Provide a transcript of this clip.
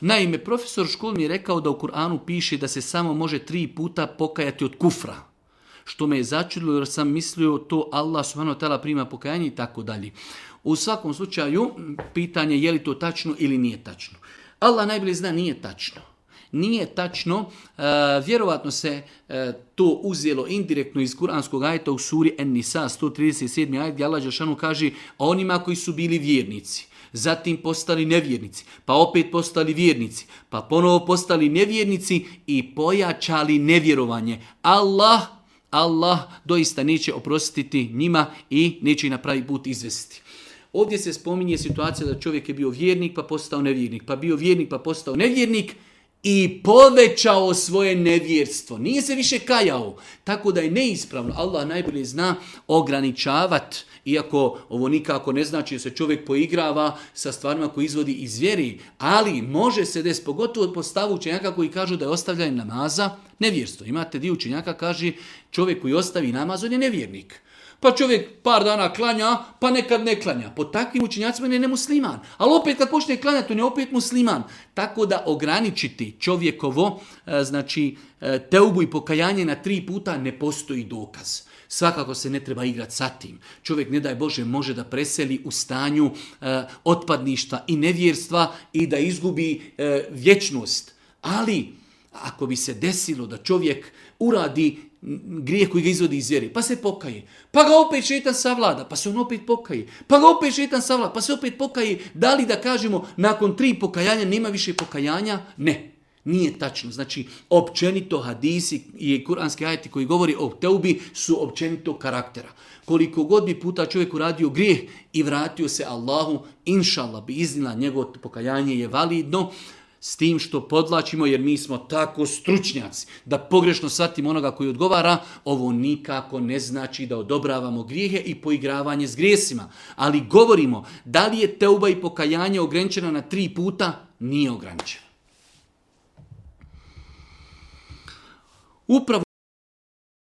Naime, profesor u školi mi je rekao da u Kur'anu piše da se samo može 3 puta pokajati od kufra. Što me je začudilo jer sam mislio to Allah subhanahu wa ta'ala prima pokajanje i tako dalje. U svakom slučaju, pitanje je li to tačno ili nije tačno. Allah najbolje zna, nije tačno. Nije tačno, vjerovatno se to uzelo indirektno iz kuranskog ajeta u suri En-Nisa 137. ajet gdje Allah dželešanu kaže onima koji su bili vjernici, zatim postali nevjernici, pa opet postali vjernici, pa ponovo postali nevjernici i pojačali nevjerovanje. Allah doista neće oprostiti njima i neće ih na pravi put izvesti. Ovdje se spominje situacija da čovjek je bio vjernik pa postao nevjernik, pa bio vjernik pa postao nevjernik i povećao svoje nevjerstvo. Nije se više kajao. Tako da je neispravno. Allah najbolje zna ograničavati, iako ovo nikako ne znači da se čovjek poigrava sa stvarima koje izvodi iz vjeri, ali može se desiti, pogotovo po stavu učenjaka koji kažu da je ostavljanje namaza nevjerstvo. Imate dio učenjaka kaže čovjek koji ostavi namaz, on je nevjernik. Pa čovjek par dana klanja, pa nekad ne klanja. Po takvim učenjacima on je nemusliman. Ali opet kad počne klanjati, on je opet musliman. Tako da ograničiti čovjekovo, znači teubu i pokajanje na 3 puta ne postoji dokaz. Svakako se ne treba igrati sa tim. Čovjek, ne daj Bože, može da preseli u stanju otpadništva i nevjerstva i da izgubi vječnost. Ali ako bi se desilo da čovjek uradi grijeh koji ga izvodi iz vjere, pa se pokaje, pa ga opet šejtan savlada, pa se on opet pokaje, pa ga opet šejtan savlada, pa se opet pokaje, da li da kažemo nakon 3 pokajanja nema više pokajanja? Ne, nije tačno. Znači, općenito hadisi i kuranski ajeti koji govori o teubi su općenito karaktera. Koliko god bi puta čovjek uradio grijeh i vratio se Allahu, inšallah bi iznila njegovo pokajanje je validno, s tim što podlačimo, jer mi smo tako stručnjaci da pogrešno shvatimo onoga koji odgovara, ovo nikako ne znači da odobravamo grijehe i poigravanje s grijesima. Ali govorimo, da li je teuba i pokajanje ograničena na 3 puta? Nije ograničena. Upravo